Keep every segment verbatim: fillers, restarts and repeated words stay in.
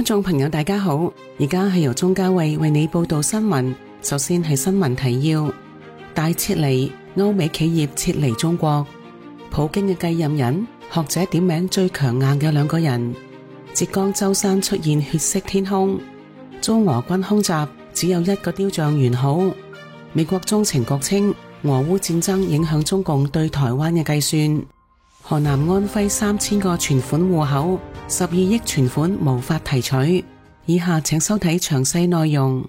眾朋友大家好，而家係由鍾嘉慧為你報道新聞。首先係新聞提要：大撤離，歐美企業撤離中國。普京嘅繼任人，學者點名最強硬嘅兩個人。浙江舟山出現血色天空，遭俄軍空襲，只有一個雕像完好。美國中情局稱，俄烏戰爭影響中共對台灣嘅計算。河南安徽三千個存款戶口，十二億存款無法提取。以下請收睇詳細內容。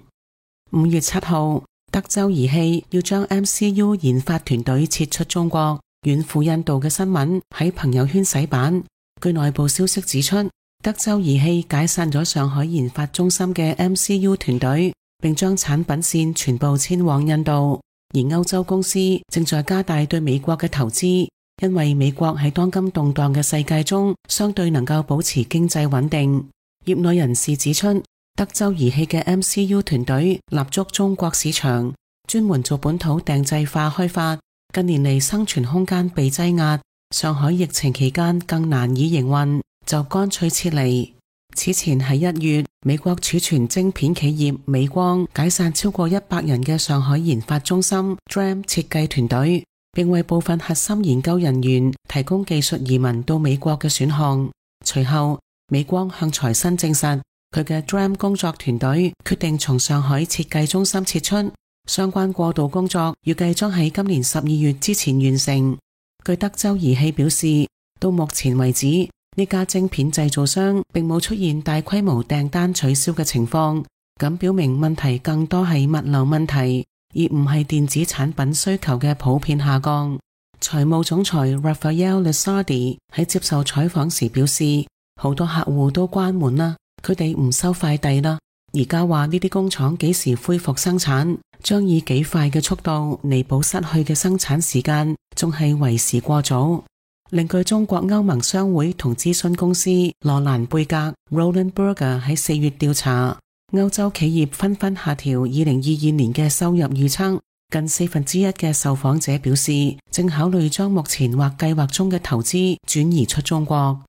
五月七號，德州儀器要將 M C U 研發團隊撤出中國，遠赴印度嘅新聞喺朋友圈洗版。據內部消息指出，德州儀器解散咗上海研發中心嘅 M C U 團隊，並將產品線全部遷往印度。而歐洲公司正在加大對美國嘅投資，因為美國喺當今動盪嘅世界中相對能夠保持經濟穩定。業內人士指出，德州儀器嘅 M C U 團隊立足中國市場，專門做本土定製化開發。近年嚟生存空間被擠壓，上海疫情期間更難以營運，就乾脆撤離。此前喺一月，美國儲存晶片企業美光解散超過一百人嘅上海研發中心 D R A M 設計團隊，並為部分核心研究人員提供技術移民到美國嘅選項。隨後，美光向財新證實，佢嘅 D R A M 工作團隊決定從上海設計中心撤出，相關過渡工作預計將喺今年十二月之前完成。據德州儀器表示，到目前為止，呢家晶片製造商並冇出現大規模訂單取消嘅情況，咁表明問題更多係物流問題，而唔係電子產品需求嘅普遍下降。財務總裁 Rafael Lusardi 喺接受採訪時表示，好多客戶都關門啦，佢哋唔收快遞啦。而家話呢啲工廠幾時恢復生產，將以幾快嘅速度彌補失去嘅生產時間，仲係為時過早。另據中國歐盟商會同諮詢公司羅蘭貝格 Roland Berger 喺四月調查，歐洲企業紛紛下調二零二二年嘅收入預測，近四分之一嘅受訪者表示正考慮將目前或計劃中嘅投資轉移出中國。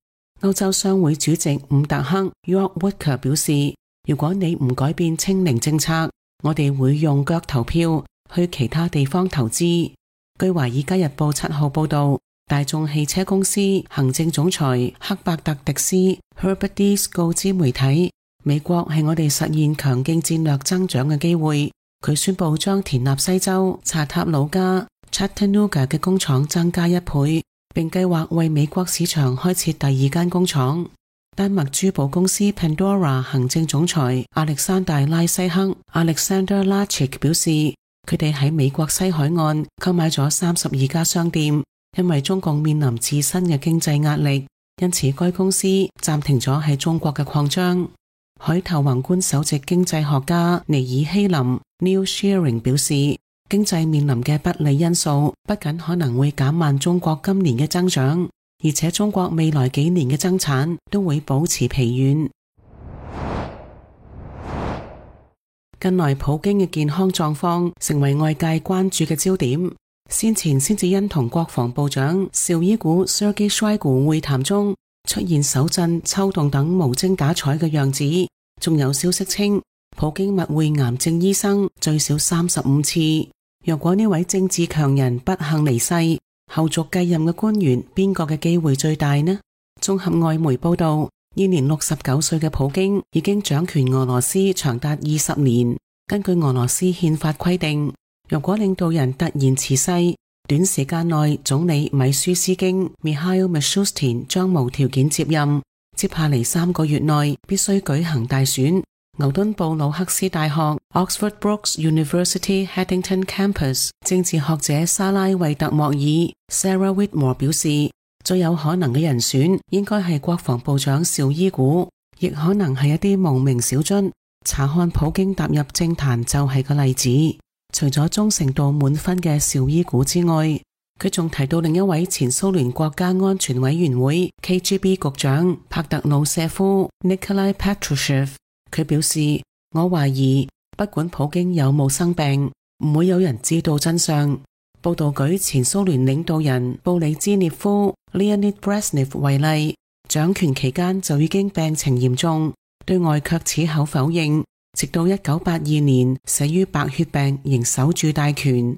歐洲商會主席伍特克 York Woodker 表示，如果你唔改變清零政策，我哋會用腳投票去其他地方投資。據華爾街日報七號報道，大眾汽車公司行政總裁克伯特迪斯 Herbert Diess 告知媒體，美國係我哋實現強勁戰略增長嘅機會。佢宣布將田納西州查塔努加 Chattanooga 嘅工廠增加一倍，並計劃為美國市場開設第二間工廠。丹麥珠寶公司 Pandora 行政總裁亞歷山大拉西克 Alexander Lachik 表示，佢哋喺美國西海岸購買咗三十二家商店，因為中共面臨自身嘅經濟壓力，因此該公司暫停咗喺中國嘅擴張。海投宏觀首席經濟學家尼爾希林 Neil Shearing 表示，經濟面臨嘅不利因素不僅可能會減慢中國今年嘅增長，而且中國未來幾年嘅增產都會保持疲軟。近來普京嘅健康狀況成為外界關注嘅焦點。先前先至因同國防部長紹伊古 Sergei Shoigu 會談中出現手震、抽動等無精打采嘅樣子，仲有消息稱普京密會癌症醫生最少三十五次。若果呢位政治強人不幸離世，後續繼任嘅官員邊個嘅機會最大呢？綜合外媒報道，現年六十九歲嘅普京已經掌權俄羅斯長達二十年。根據俄羅斯憲法規定，如果領導人突然辭世，短時間內總理米舒斯京 Mikhail Mishustin 將無條件接任，接下嚟三個月內必須舉行大選。牛頓布魯克斯大學 Oxford Brookes University Haddington Campus 政治學者莎拉惠特莫爾 Sarah Whitmore 表示，最有可能嘅人選應該係國防部長紹伊古，亦可能係一啲無名小卒。查看普京踏入政壇就係個例子。除咗忠誠度滿分嘅紹伊古之外，佢仲提到另一位前蘇聯國家安全委員會 K G B 局長帕特魯舍夫 Nikolai Patrushev。佢表示，我懷疑不管普京有冇生病，唔會有人知道真相。報道舉前蘇聯領導人布里茲涅夫 Leonid Brezhnev 為例，掌權期間就已經病情嚴重，對外卻矢口否認，直到一九八二年死於白血病，仍守住大權。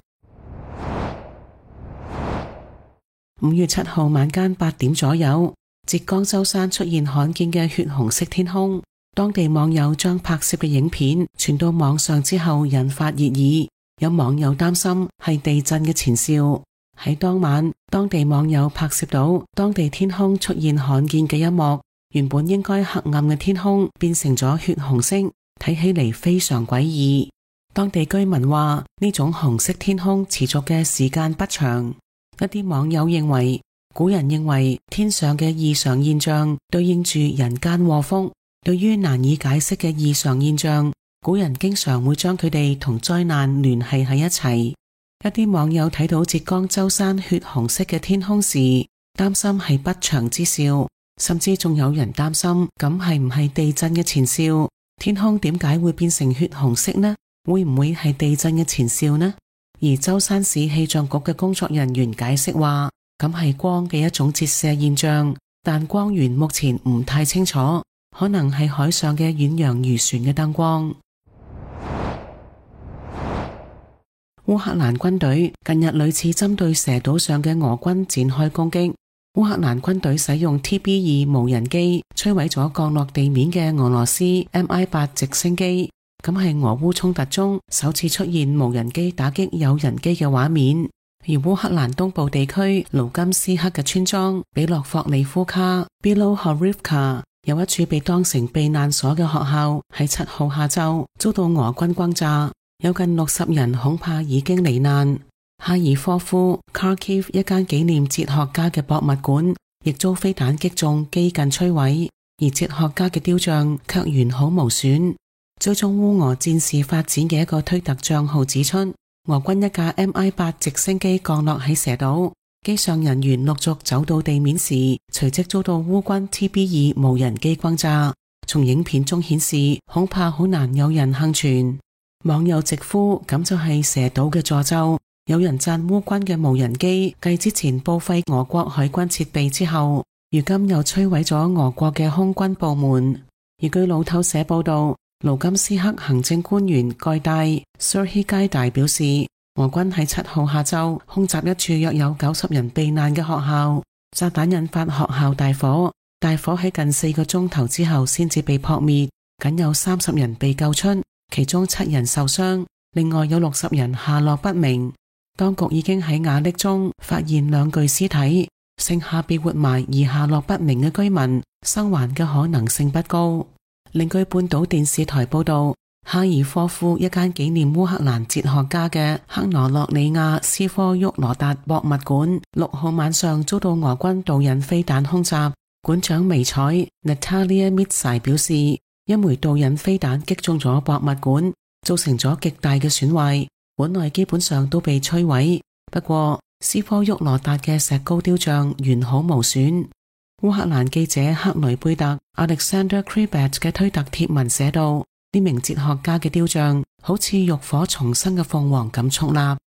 五月七號晚間八點左右，浙江舟山出現罕見嘅血紅色天空。當地網友將拍攝嘅影片傳到網上之後，引發熱議。有網友擔心係地震嘅前兆。喺當晚，當地網友拍攝到當地天空出現罕見嘅一幕，原本應該黑暗嘅天空變成咗血紅色，睇起嚟非常詭異。當地居民話呢種紅色天空持續嘅時間不長。一啲網友認為，古人認為天上嘅異常現象對應住人間禍福。對於難以解釋嘅異常現象，古人經常會將佢哋同災難聯繫喺一齊。一啲網友睇到浙江舟山血紅色嘅天空時，擔心係不祥之兆，甚至仲有人擔心咁係唔係地震嘅前兆？天空點解會變成血紅色呢？會唔會係地震嘅前兆呢？而舟山市氣象局嘅工作人員解釋話，咁係光嘅一種折射現象，但光源目前唔太清楚。可能係海上嘅遠洋漁船嘅燈光。烏克蘭軍隊近日屢次針對蛇島上嘅俄軍展開攻擊。烏克蘭軍隊使用 T B 二無人機摧毀咗降落地面嘅俄羅斯 M I 八直升機，咁係俄烏衝突中首次出現無人機打擊有人機嘅畫面。而烏克蘭東部地區盧甘斯克嘅村莊比洛霍利夫卡 Bilohorivka 有一處被當成避難所嘅學校，喺七號下晝遭到俄軍轟炸，有近六十人恐怕已經罹難。哈爾科夫 Kharkiv 一間紀念哲學家嘅博物館亦遭飛彈擊中，幾近摧毀，而哲學家嘅雕像卻完好無損。追蹤烏俄戰事發展嘅一個推特賬號指出，俄軍一架 M I 八直升機降落喺蛇島。機上人員陸續走到地面時，隨即遭到烏軍 T B 二無人機轟炸。從影片中顯示，恐怕好難有人幸存。網友直呼咁就係蛇島嘅詛咒。有人讚烏軍嘅無人機繼之前報廢俄國海軍設備之後，如今又摧毀咗俄國嘅空軍部門。而據路透社報道，盧甘斯克行政官員蓋戴 Serhiy Gaidai 表示，俄軍喺七號下晝空襲一處約有九十人避難嘅學校，炸彈引發學校大火，大火喺近四個鐘頭之後先至被撲滅，僅有三十人被救出，其中七人受傷，另外有六十人下落不明。當局已經喺瓦礫中發現兩具屍體，剩下被活埋而下落不明嘅居民，生還嘅可能性不高。另據半島電視台報道，哈爾科夫一間紀念烏克蘭哲學家嘅克羅諾里亞斯科沃羅達博物館六號晚上遭到俄軍導引飛彈空襲。館長微彩 Natalia Mitsai 表示，一枚導引飛彈擊中咗博物館，造成咗極大嘅損壞，館內基本上都被摧毀。不過斯科沃羅達嘅石膏雕像完好無損。烏克蘭記者克雷貝特 Alexander Kribet 嘅推特貼文寫道，呢名哲學家嘅雕像好似浴火重生嘅鳳凰咁矗立。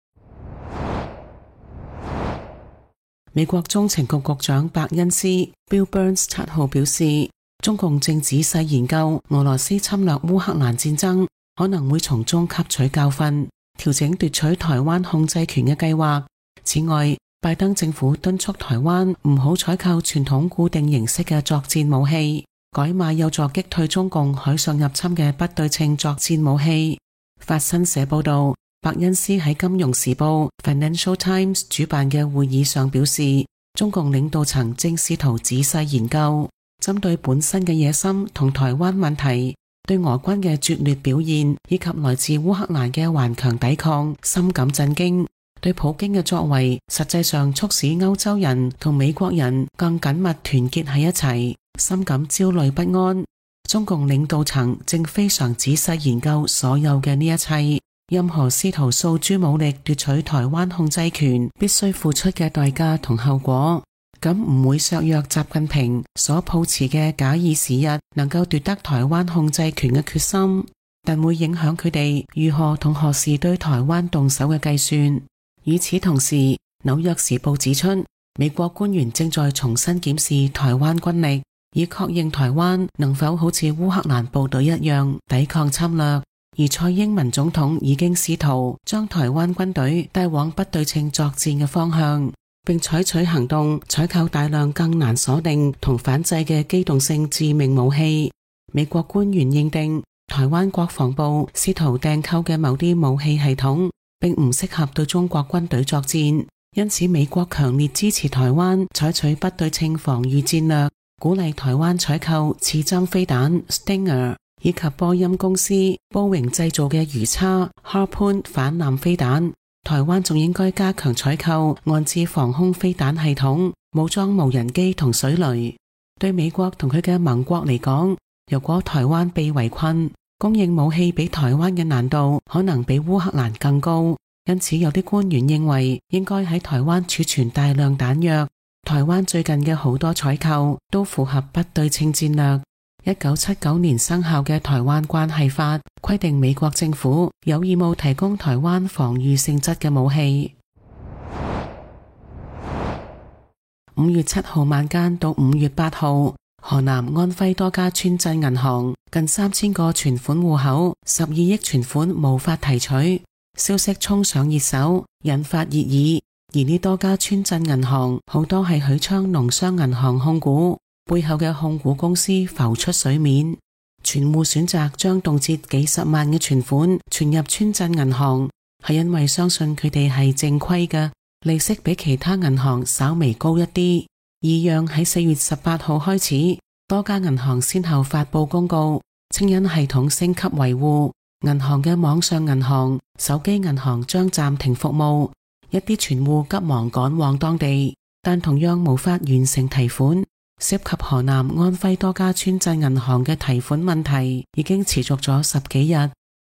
美國中情局局長伯恩斯 Bill Burns 七號表示，中共正仔細研究俄羅斯侵略烏克蘭戰爭，可能會從中吸取教訓，調整奪取台灣控制權嘅計劃。此外，拜登政府敦促台灣唔好採購傳統固定形式嘅作戰武器，改買有助擊退中共海上入侵嘅不對稱作戰武器。法新社報道，伯恩斯喺金融時報 Financial Times 主辦嘅會議上表示，中共領導層正試圖仔細研究，針對本身嘅野心同台灣問題，對俄軍嘅拙劣表現以及來自烏克蘭嘅頑強抵抗深感震驚。對普京嘅作為，實際上促使歐洲人同美國人更緊密團結喺一齊，深感焦慮不安。中共領導層正非常仔細研究所有嘅呢一切，任何試圖訴諸武力奪取台灣控制權，必須付出嘅代價同後果。咁唔會削弱習近平所抱持嘅假以時日能夠奪得台灣控制權嘅決心，但會影響佢哋如何同何時對台灣動手嘅計算。與此同時，紐約時報指出，美國官員正在重新檢視台灣軍力，以確認台灣能否好似烏克蘭部隊一樣抵抗侵略，而蔡英文總統已經試圖將台灣軍隊帶往不對稱作戰嘅方向，並採取行動採購大量更難鎖定同反制嘅機動性致命武器。美國官員認定台灣國防部試圖訂購嘅某啲武器系統並唔適合對中國軍隊作戰，因此美國強烈支持台灣採取不對稱防禦戰略，鼓勵台灣採購刺針飛彈 Stinger 以及波音公司波榮製造嘅魚叉 Harpoon 反艦飛彈。台灣仲應該加強採購岸置防空飛彈系統、武裝無人機同水雷。對美國同佢嘅盟國嚟講，如果台灣被圍困，供應武器俾台灣嘅難度可能比烏克蘭更高。因此有啲官員認為應該喺台灣儲存大量彈藥。台灣最近嘅好多採購都符合不對稱戰略。一九七九年生效嘅台灣關係法規定美國政府有義務提供台灣防禦性質嘅武器。五月七號晚間到五月八號，河南安徽多家村鎮銀行近三千個存款戶口十二億存款無法提取，消息衝上熱搜，引發熱議。而呢多家村鎮銀行好多係許昌農商銀行控股，背後嘅控股公司浮出水面。存戶選擇將動輒幾十萬嘅存款存入村鎮銀行，係因為相信佢哋係正規嘅，利息比其他銀行稍微高一啲。異樣喺四月十八號開始，多家銀行先後發佈公告，稱因系統升級維護，銀行嘅網上銀行、手機銀行將暫停服務。一啲存戶急忙趕往當地，但同樣無法完成提款。涉及河南安徽多家村鎮銀行嘅提款問題已經持續咗十幾日。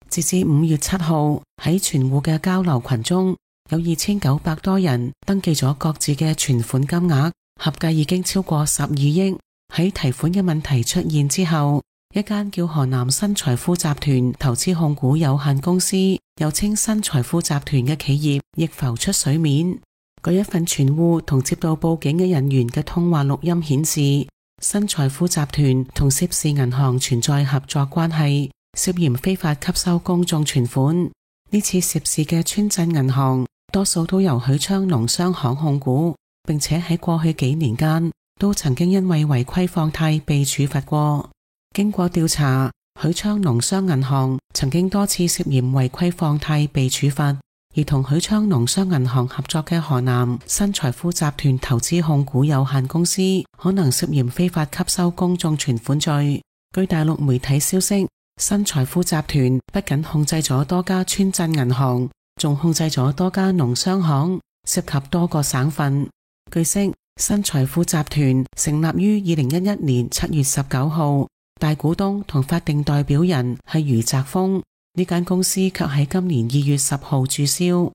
截至五月七號，喺存戶嘅交流群中，有二千九百多人登記咗各自嘅存款金額，合計已經超過十二億。喺提款嘅問題出現之後，一間叫河南新財富集團投資控股有限公司，又稱新財富集團嘅企業亦浮出水面。嗰一份存戶同接到報警嘅人員嘅通話錄音顯示，新財富集團同涉事銀行存在合作關係，涉嫌非法吸收公眾存款。呢次涉事嘅村鎮銀行多數都由許昌農商行控股，並且喺過去幾年間都曾經因為違規放貸被處罰過。經過調查，許昌農商銀行曾經多次涉嫌違規放貸被處罰，而同許昌農商銀行合作嘅河南新財富集團投資控股有限公司可能涉嫌非法吸收公眾存款罪。據大陸媒體消息，新財富集團不僅控制咗多家村鎮銀行，仲控制咗多家農商行，涉及多個省份。據悉，新財富集團成立於二零一一年七月十九號，大股東同法定代表人係余澤峰，呢間公司卻喺今年二月十號註銷。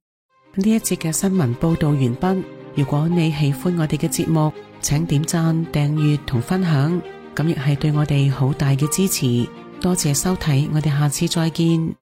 呢一節嘅新聞報道完畢。如果你喜歡我哋嘅節目，請點讚、訂閱同分享，咁亦係對我哋好大嘅支持。多謝收睇，我哋下次再見。